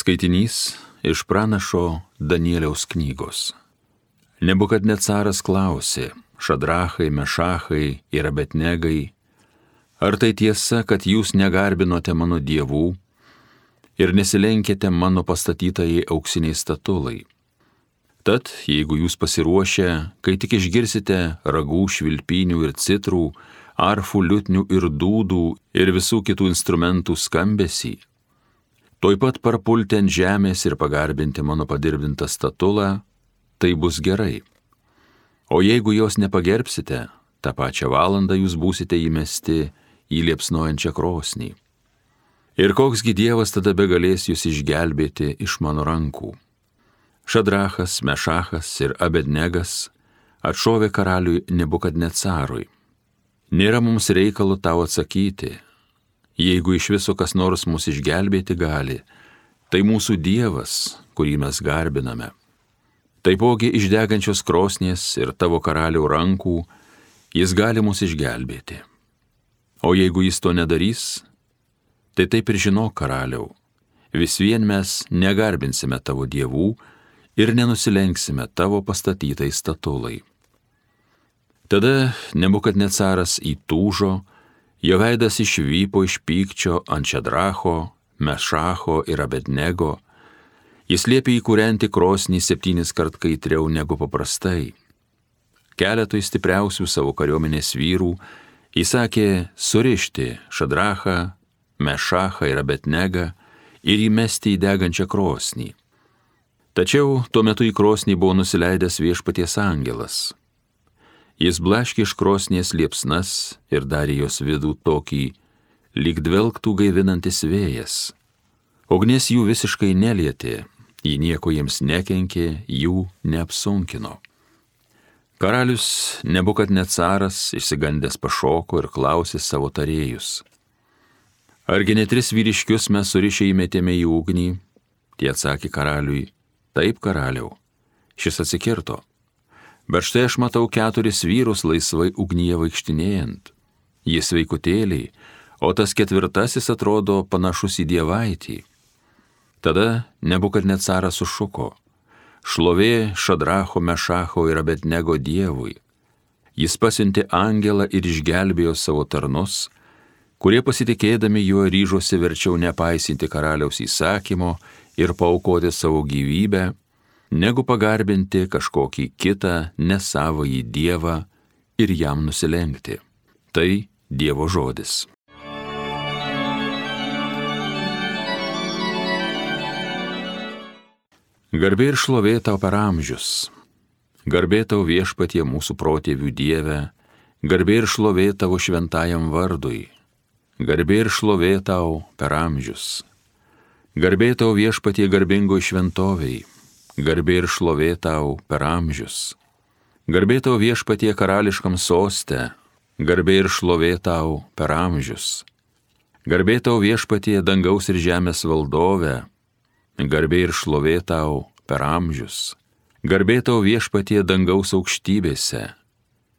Skaitinys iš pranašo Danieliaus knygos. Nebukadnecaras klausė: Šadrachai, Mešachai ir Abednegai, ar tai tiesa, kad jūs negarbinote mano dievų ir nesilenkėte mano pastatytai auksiniai statulai? Tad, jeigu jūs pasiruošę, kai tik išgirsite ragų, švilpynių ir citrų, arfų, liutnių ir dūdų ir visų kitų instrumentų skambesį, tuoj pat parpulti ant žemės ir pagarbinti mano padirbintą statulą, tai bus gerai. O jeigu jos nepagerbsite, tą pačią valandą jūs būsite įmesti į liepsnojančią krosnį. Ir koksgi dievas tada begalės jūs išgelbėti iš mano rankų? Šadrachas, Mešachas ir Abednegas atšovė karaliui Nebukadnecarui: Nėra mums reikalo tau atsakyti. Jeigu iš viso kas nors mus išgelbėti gali, tai mūsų Dievas, kurį mes garbiname. Taipogi iš degančios krosnies ir tavo karalių rankų jis gali mus išgelbėti. O jeigu jis to nedarys, tai taip ir žinok, karaliau, vis vien mes negarbinsime tavo dievų ir nenusilenksime tavo pastatytai statulai. Tada Nebukadnecaras įtūžo, jo veidas išvypo iš pykčio ant Šadracho, Mešacho ir Abednego. Jis liepė įkūrenti krosnį 7 kart kaitriau negu paprastai. Keletui stipriausių savo kariuomenės vyrų įsakė surišti Šadrachą, Mešachą ir Abednegą ir įmesti į degančią krosnį. Tačiau tuo metu į krosnį buvo nusileidęs viešpaties angelas. Jis blaškė iš krosnies liepsnas ir darė jos vidų tokį, lyg dvelktų gaivinantis vėjas. Ugnis jų visiškai nelietė, ji nieko jiems nekenkė, jų neapsunkino. Karalius Nebukadnecaras išsigandęs pašoko ir klausė savo tarėjus: Argi ne 3 vyriškius mes surišę įmetėme į ugnį? Tie atsakė karaliui: Taip, karaliau. Šis atsikirto: Bet štai aš matau 4 vyrus laisvai ugnyje vaikštinėjant. Jie sveikutėliai, o tas 4 atrodo panašus į dievaitį. Tada Nebukadnecaras sušuko: Šlovė Šadracho, Mešacho ir Abednego dievui. Jis pasiuntė angelą ir išgelbėjo savo tarnus, kurie pasitikėdami juo ryžosi verčiau nepaisinti karaliaus įsakymo ir paaukoti savo gyvybę, negu pagarbinti kažkokį kitą nesavąjį dievą ir jam nusilenkti. Tai Dievo žodis. Garbė ir šlovė tau per amžius. Garbė tau viešpatie mūsų protėvių Dieve, garbė ir šlovė tavo šventajam vardui. Garbė ir šlovė tau per amžius. Garbė tau viešpatie garbingoj šventoviai. Garbė ir šlovė tau per amžius. Garbė tau viešpatie karališkam soste. Garbė ir šlovė tau per amžius. Garbė tau viešpatie dangaus ir žemės valdove. Garbė ir šlovė tau per amžius. Garbė tau viešpatie dangaus aukštybėse.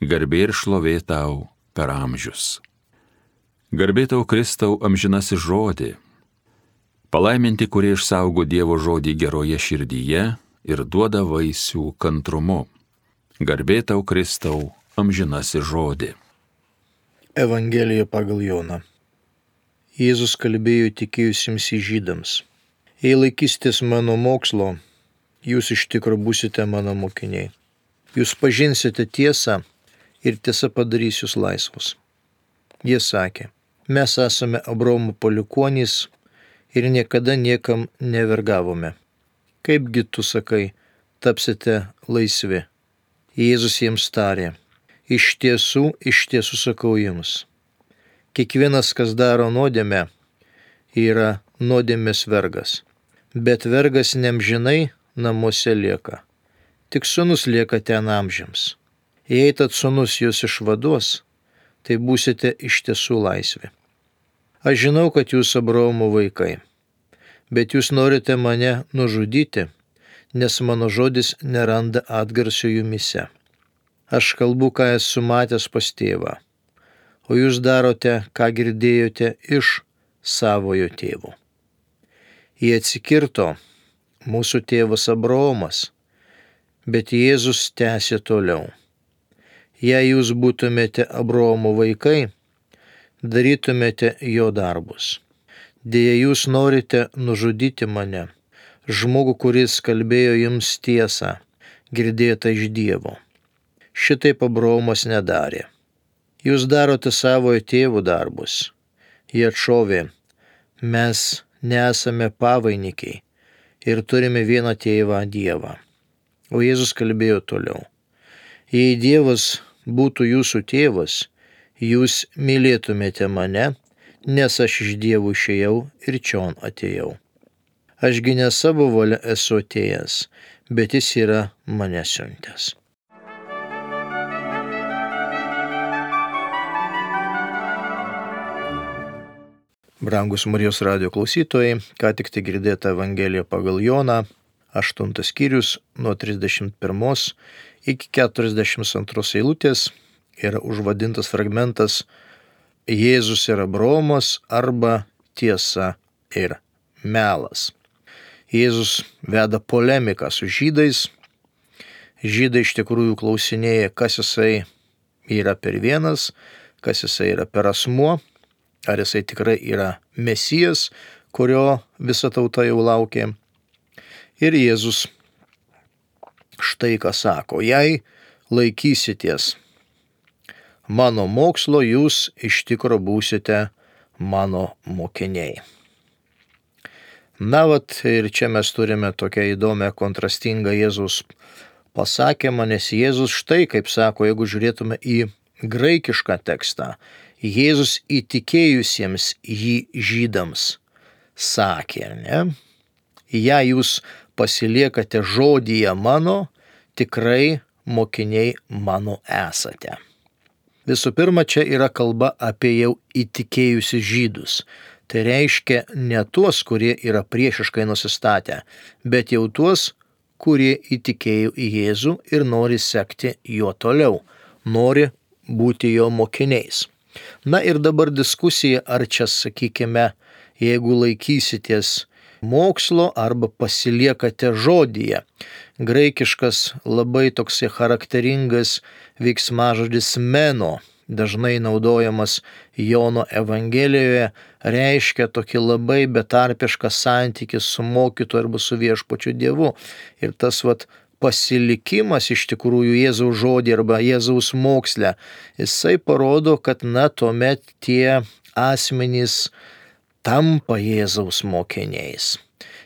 Garbė ir šlovė tau per amžius. Garbė tau Kristau amžinasis žodį. Palaiminti, kurie išsaugo Dievo žodį geroje širdyje ir duoda vaisių kantrumu. Garbė tau Kristau amžinasis žodį. Evangelija pagal Joną. Jėzus kalbėjo tikėjusiems žydams: Jei laikysitės mano mokslo, jūs iš tikro būsite mano mokiniai. Jūs pažinsite tiesą ir tiesa padarys jūs laisvus. Jie sakė: Mes esame Abraomo palikuonys ir niekada niekam nevergavome. Kaipgi tu sakai, tapsite laisvi? Jėzus jiems tarė: Iš tiesų sakau jums, kiekvienas, kas daro nuodėmę, yra nuodėmės vergas. Bet vergas neamžinai namuose lieka, tik sūnus lieka ten amžiams. Jei tad sūnus jūs išvaduos, tai būsite iš tiesų laisvi. Aš žinau, kad jūs Abraomo vaikai, bet jūs norite mane nužudyti, nes mano žodis neranda atgarsio jumyse. Aš kalbu, ką esu matęs pas tėvą, o jūs darote, ką girdėjote iš savojo tėvo. Jie atsikirto, mūsų tėvas Abraomas, bet Jėzus tęsė toliau. Jei jūs būtumėte Abraomo vaikai, darytumėte jo darbus. Deja, jūs norite nužudyti mane, žmogų, kuris kalbėjo jums tiesą, girdėtą iš Dievo. Šitaip Abraomas nedarė. Jūs darote savojo tėvų darbus. Jie atšovė, mes nesame pavainikiai ir turime vieną tėvą Dievą. O Jėzus kalbėjo toliau. Jei Dievas būtų jūsų tėvas, jūs mylėtumėte mane, nes aš iš Dievo išėjau ir čion atėjau. Ašgi ne savo valia esu atėjęs, bet jis yra mane siuntęs. Brangus Marijos radijo klausytojai, ką tik tai girdėta Evangelija pagal Joną, 8 skyrius nuo 31 iki 42 eilutės yra užvadintas fragmentas Jėzus ir Abraomas arba tiesa ir melas. Jėzus veda polemiką su žydais. Žydai iš tikrųjų klausinėja, kas jisai yra per vienas, kas jisai yra per asmuo, ar jisai tikrai yra Mesijas, kurio visa tauta jau laukė. Ir Jėzus štai ką sako, jei laikysitės mano mokslo, jūs iš tikro būsite mano mokiniai. Na vat, ir čia mes turime tokią įdomią kontrastingą Jėzus pasakymą, nes Jėzus štai kaip sako, jeigu žiūrėtume į graikišką tekstą, Jėzus įtikėjusiems jį žydams sakė, ne? Jei jūs pasiliekate žodyje mano, tikrai mokiniai mano esate. Visų pirma, čia yra kalba apie jau įtikėjusius žydus. Tai reiškia ne tuos, kurie yra priešiškai nusistatę, bet jau tuos, kurie įtikėjo į Jėzų ir nori sekti juo toliau, nori būti jo mokiniais. Na ir dabar diskusija, ar čia, sakykime, jeigu laikysitės mokslo arba pasiliekate žodyje. Graikiškas labai toksai charakteringas veiksmažodis meno, dažnai naudojamas Jono Evangelijoje, reiškia tokį labai betarpišką santykį su mokytoju arba su viešpačiu Dievu. Ir tas pasilikimas iš tikrųjų Jėzaus žodį arba Jėzaus moksle, jisai parodo, kad tuomet tie asmenys tampa Jėzaus mokiniais.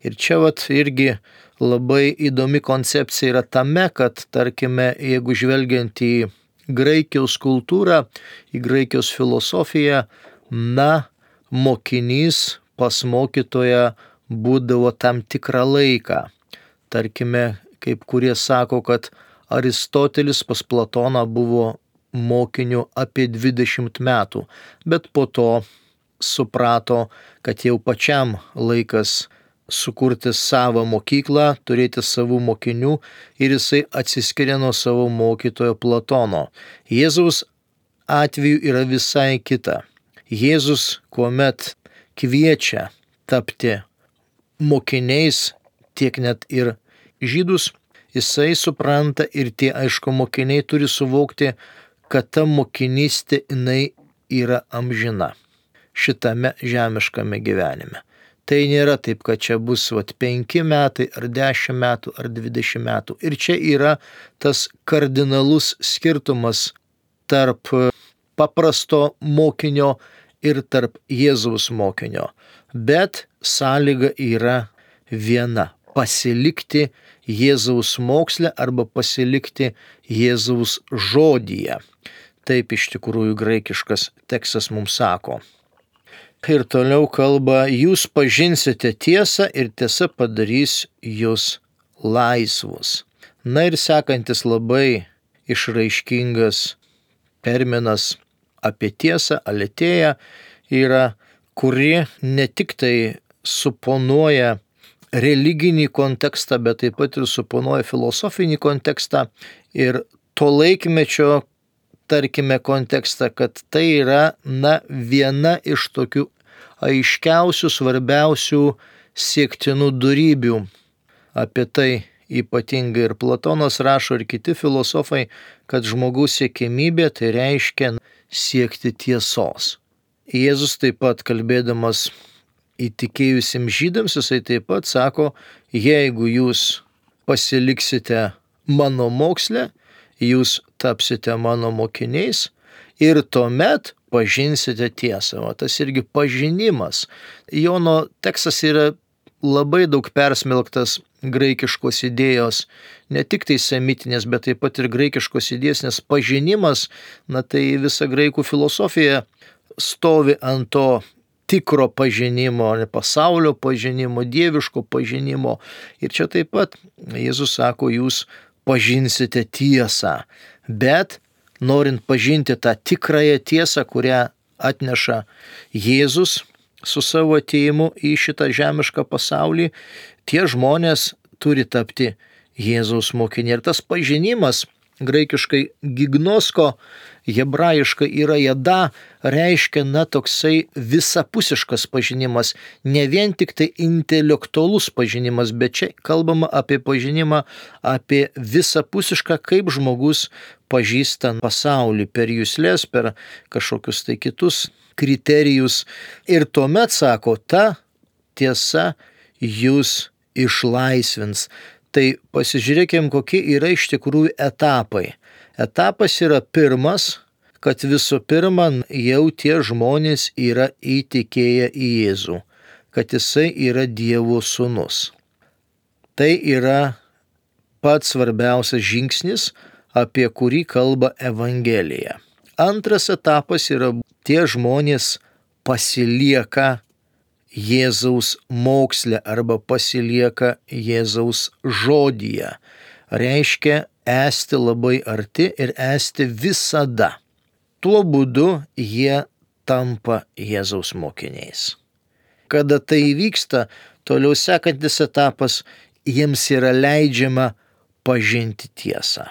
Ir čia irgi labai įdomi koncepcija yra tame, kad, tarkime, jeigu žvelgiant į Graikijos kultūrą, į Graikijos filosofiją, mokinys pas mokytoją būdavo tam tikrą laiką. Tarkime, kaip kurie sako, kad Aristotelis pas Platoną buvo mokiniu apie 20 metų, bet po to suprato, kad jau pačiam laikas sukurti savo mokyklą, turėti savų mokinių ir jisai atsiskiria nuo savo mokytojo Platono. Jėzaus atveju yra visai kita. Jėzus, kuomet kviečia tapti mokiniais, tiek net ir žydus, jisai supranta ir tie, aišku, mokiniai turi suvokti, kad ta mokinystė jinai yra amžina šitame žemiškame gyvenime. Tai nėra taip, kad čia bus 5 metai, ar 10 metų, ar 20 metų. Ir čia yra tas kardinalus skirtumas tarp paprasto mokinio ir tarp Jėzaus mokinio. Bet sąlyga yra viena – pasilikti Jėzaus moksle arba pasilikti Jėzaus žodyje. Taip iš tikrųjų graikiškas tekstas mums sako. Ir toliau kalba, jūs pažinsite tiesą ir tiesa padarys jūs laisvus. Na ir sekantis labai išraiškingas terminas apie tiesą, aletheia, yra, kuri ne tik tai suponuoja religinį kontekstą, bet taip pat ir suponuoja filosofinį kontekstą ir to laikmečio, tarkime, kontekstą, kad tai yra viena iš tokių aiškiausių, svarbiausių siektinų dorybių. Apie tai ypatingai ir Platonas rašo, ir kiti filosofai, kad žmogaus siekiamybė tai reiškia siekti tiesos. Jėzus taip pat kalbėdamas įtikėjusiems žydams, jisai taip pat sako, jeigu jūs pasiliksite mano moksle, jūs tapsite mano mokiniais ir tuomet pažinsite tiesą. O tas irgi pažinimas. Jono tekstas yra labai daug persmelktas graikiškos idėjos, ne tik tai semitinės, bet taip pat ir graikiškos idėjos, nes pažinimas, tai visa graikų filosofija stovi ant to tikro pažinimo, pasaulio pažinimo, dieviško pažinimo. Ir čia taip pat Jėzus sako, jūs pažinsite tiesą, bet norint pažinti tą tikrąją tiesą, kurią atneša Jėzus su savo atėjimu į šitą žemišką pasaulį, tie žmonės turi tapti Jėzaus mokiniai. Ir tas pažinimas, graikiškai gignosko, hebrajiškai yra jada, reiškia toksai visapusiškas pažinimas, ne vien tik tai intelektualus pažinimas, bet čia kalbama apie pažinimą, apie visapusišką, kaip žmogus pažįsta pasaulį per juslės, per kažkokius tai kitus kriterijus. Ir tuomet, sako, ta tiesa jūs išlaisvins. Tai pasižiūrėkime, kokie yra iš tikrųjų etapai. Etapas yra pirmas, kad visų pirma jau tie žmonės yra įtikėję į Jėzų, kad jisai yra Dievo sūnus. Tai yra pats svarbiausias žingsnis, apie kurį kalba Evangelija. Antras etapas yra tie žmonės pasilieka Jėzaus moksle arba pasilieka Jėzaus žodyje. Reiškia esti labai arti ir esti visada. Tuo būdu jie tampa Jėzaus mokiniais. Kada tai įvyksta, toliau sekantis etapas, jiems yra leidžiama pažinti tiesą.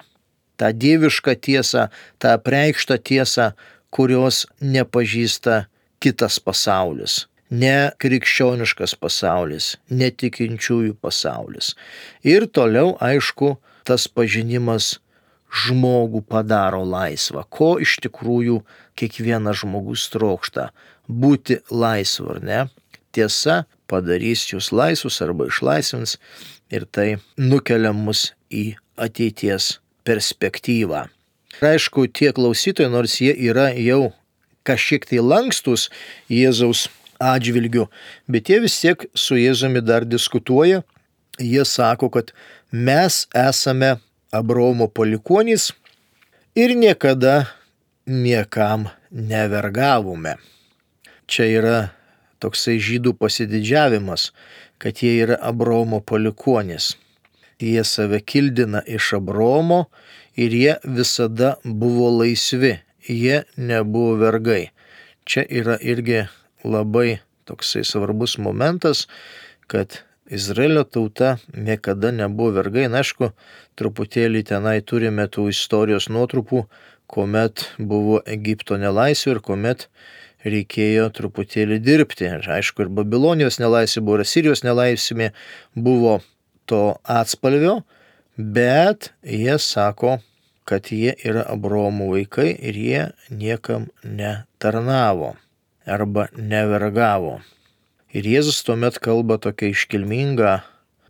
tą dievišką tiesą, tą apreikštą tiesą, kurios nepažįsta kitas pasaulis, ne krikščioniškas pasaulis, netikinčiųjų pasaulis. Ir toliau, aišku, tas pažinimas žmogų padaro laisvą. Ko iš tikrųjų kiekvienas žmogus trokšta? Būti laisvu, ar ne? Tiesa padarys jūs laisvus arba išlaisvins ir tai nukelia mus į ateities perspektyvą. Ir aišku, tie klausytojai, nors jie yra jau kažkiek tai lankstus Jėzaus atžvilgiu, bet jie vis tiek su Jėzumi dar diskutuoja. Jie sako, kad mes esame Abraomo palikuonys ir niekada niekam nevergavome. Čia yra toksai žydų pasididžiavimas, kad jie yra Abraomo palikuonys. Jie save kildina iš Abraomo ir jie visada buvo laisvi, jie nebuvo vergai. Čia yra irgi labai toksai svarbus momentas, kad Izraelio tauta niekada nebuvo vergai. Na, aišku, truputėlį tenai turime tų istorijos nuotrupų, kuomet buvo Egipto nelaisvė ir kuomet reikėjo truputėlį dirbti. Ir aišku, ir Babilonijos nelaisvė buvo, ir Asirijos nelaisvė buvo to atspalvio, bet jie sako, kad jie yra Abraomo vaikai ir jie niekam netarnavo arba nevergavo. Ir Jėzus tuomet kalba tokia iškilminga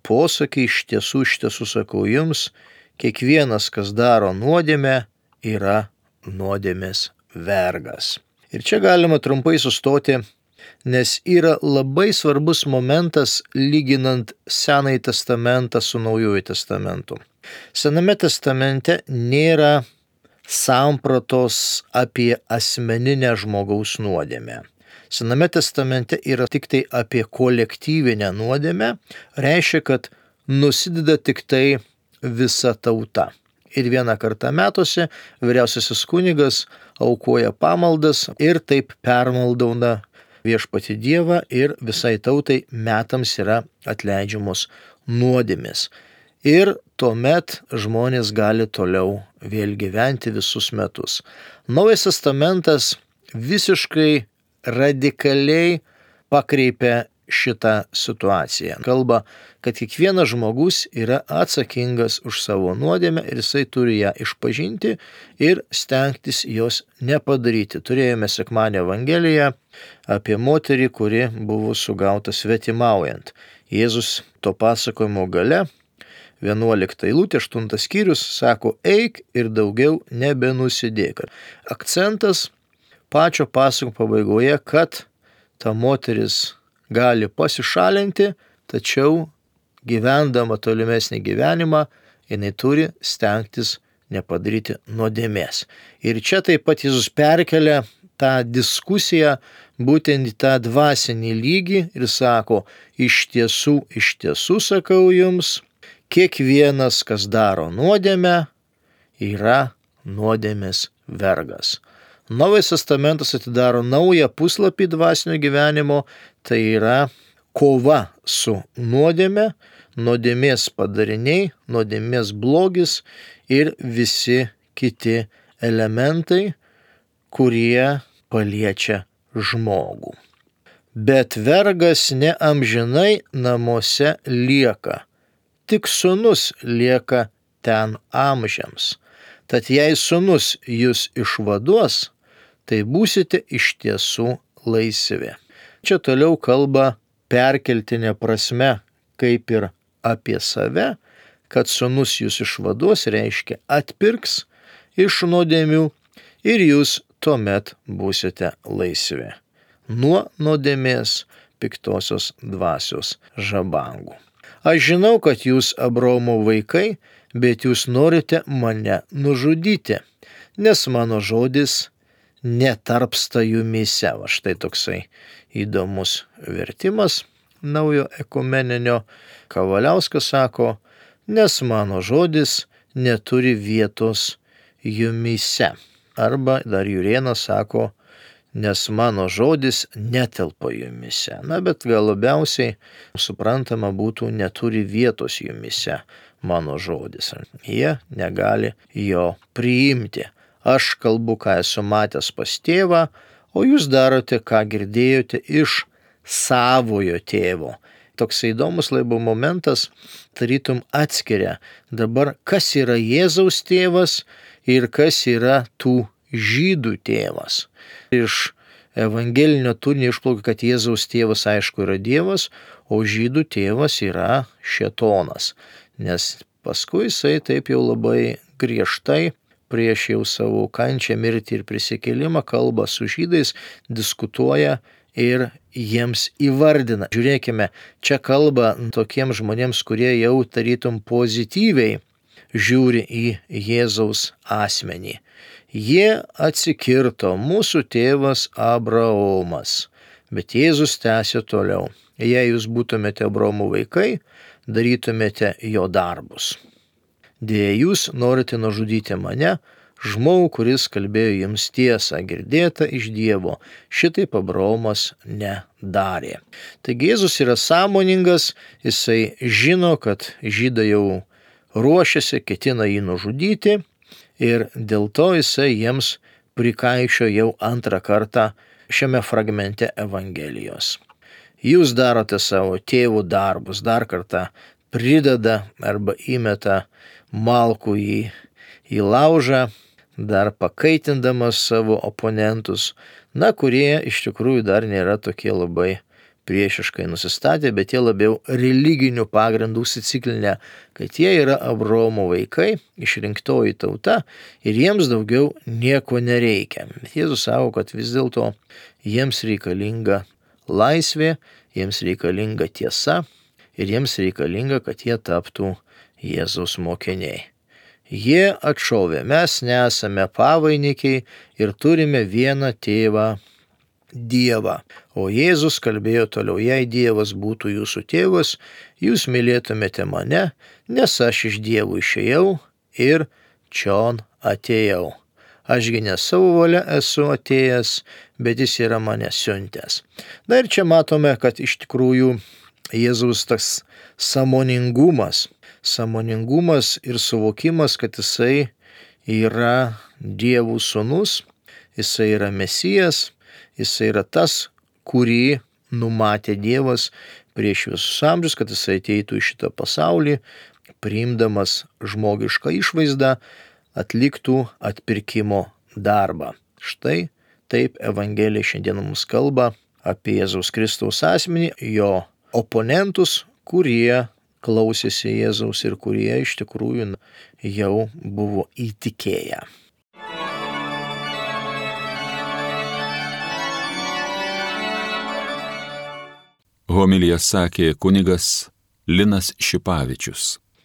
posakį, iš tiesų sakau jums, kiekvienas, kas daro nuodėmę, yra nuodėmės vergas. Ir čia galima trumpai sustoti, nes yra labai svarbus momentas lyginant Senąjį testamentą su Naujuoju testamentu. Sename testamente nėra sampratos apie asmeninę žmogaus nuodėmę. Sename testamente yra tik tai apie kolektyvinę nuodėmę, reiškia, kad nusideda tik tai visa tauta. Ir vieną kartą metuose vyriausiasis kunigas aukoja pamaldas ir taip permaldauna viešpatį Dievą ir visai tautai metams yra atleidžiamos nuodėmės. Ir tuomet žmonės gali toliau vėl gyventi visus metus. Naujas testamentas visiškai radikaliai pakreipia šitą situaciją. Kalba, kad kiekvienas žmogus yra atsakingas už savo nuodėmę ir jisai turi ją išpažinti ir stengtis jos nepadaryti. Turėjome sekmadienio Evangeliją apie moterį, kuri buvo sugauta svetimaujant. Jėzus to pasakojimo gale 11 eilutė, 8 skyrius, sako, eik ir daugiau nebenusidėk. Akcentas pačio pasakojimo pabaigoje, kad ta moteris gali pasišalinti, tačiau gyvendama tolimesnį gyvenimą, jinai turi stengtis nepadaryti nuodėmės. Ir čia taip pat Jėzus perkelia tą diskusiją būtent į tą dvasinį lygį ir sako, iš tiesų sakau jums, kiekvienas, kas daro nuodėmę, yra nuodėmės vergas. Naujas testamentas atidaro naują puslapį dvasinio gyvenimo, tai yra kova su nuodėme, nuodėmės padariniai, nuodėmės blogis ir visi kiti elementai, kurie paliečia žmogų. Bet vergas ne amžinai namuose lieka, tik sūnus lieka ten amžiams. Tad jei sūnus jūs išvaduos, tai būsite iš tiesų laisvi. Čia toliau kalba perkeltinė prasme, kaip ir apie save, kad sūnus jūs išvaduos reiškia atpirks iš nuodėmių ir jūs tuomet būsite laisvi nuo nuodėmės piktosios dvasios žabangų. Aš žinau, kad jūs Abraomo vaikai, bet jūs norite mane nužudyti, nes mano žodis netarpsta jumyse. Va štai toksai įdomus vertimas naujo ekumeninio. Kavaliauskas sako, nes mano žodis neturi vietos jumyse. Arba dar Jurėnas sako, nes mano žodis netelpa jumyse. Na, bet gal labiausiai suprantama būtų neturi vietos jumyse mano žodis. Jie negali jo priimti. Aš kalbu, ką esu matęs pas tėvą, o jūs darote, ką girdėjote iš savojo tėvo. Toks įdomus laibo momentas, tarytum atskiria dabar, kas yra Jėzaus tėvas ir kas yra tų žydų tėvas. Iš evangelinio turinio išplaukia, kad Jėzaus tėvas aišku yra Dievas, o žydų tėvas yra šėtonas. Nes paskui jisai taip jau labai griežtai prieš jau savo kančią, mirtį ir prisikėlimą kalba su žydais, diskutuoja ir jiems įvardina. Žiūrėkime, čia kalba tokiems žmonėms, kurie jau tarytum pozityviai žiūri į Jėzaus asmenį. Jie atsikirto, mūsų tėvas Abraomas. Bet Jėzus tęsė toliau. Jei jūs būtumėte Abraomo vaikai, darytumėte jo darbus. Dėja, jūs norite nužudyti mane, žmogų, kuris kalbėjo jums tiesą, girdėtą iš Dievo. Šitaip Abraomas nedarė. Taigi Jėzus yra sąmoningas, jisai žino, kad žydai jau ruošiasi, ketina jį nužudyti ir dėl to jisai jiems prikaišio jau antrą kartą šiame fragmente Evangelijos. Jūs darote savo tėvų darbus, dar kartą prideda arba įmeta malkų į laužą, dar pakaitindamas savo oponentus, kurie iš tikrųjų dar nėra tokie labai priešiškai nusistatę, bet jie labiau religinių pagrindų įsiciklinę, kad jie yra Abraomo vaikai, išrinktoji tauta ir jiems daugiau nieko nereikia. Bet Jėzus sako, kad vis dėlto jiems reikalinga laisvė, jiems reikalinga tiesa ir jiems reikalinga, kad jie taptų Jėzaus mokiniai. Jie atšovė, mes nesame pavainikiai ir turime vieną tėvą Dievą. O Jėzus kalbėjo toliau, jei Dievas būtų jūsų tėvas, jūs mylėtumėte mane, nes aš iš Dievo išėjau ir čion atėjau. Ašgi ne savo valia esu atėjęs, bet jis yra mane siuntęs. Na ir čia matome, kad iš tikrųjų Jėzaus tas sąmoningumas ir suvokimas, kad jisai yra Dievo sūnus, jisai yra Mesijas, jisai yra tas, kurį numatė Dievas prieš visus amžius, kad jis ateitų į šitą pasaulį, priimdamas žmogišką išvaizdą, atliktų atpirkimo darbą. Štai taip Evangelija šiandien mums kalba apie Jėzaus Kristaus asmenį, jo oponentus, kurie klausėsi Jėzaus ir kurie iš tikrųjų jau buvo įtikėję. Homiliją sakė kunigas Linas Šipavičius.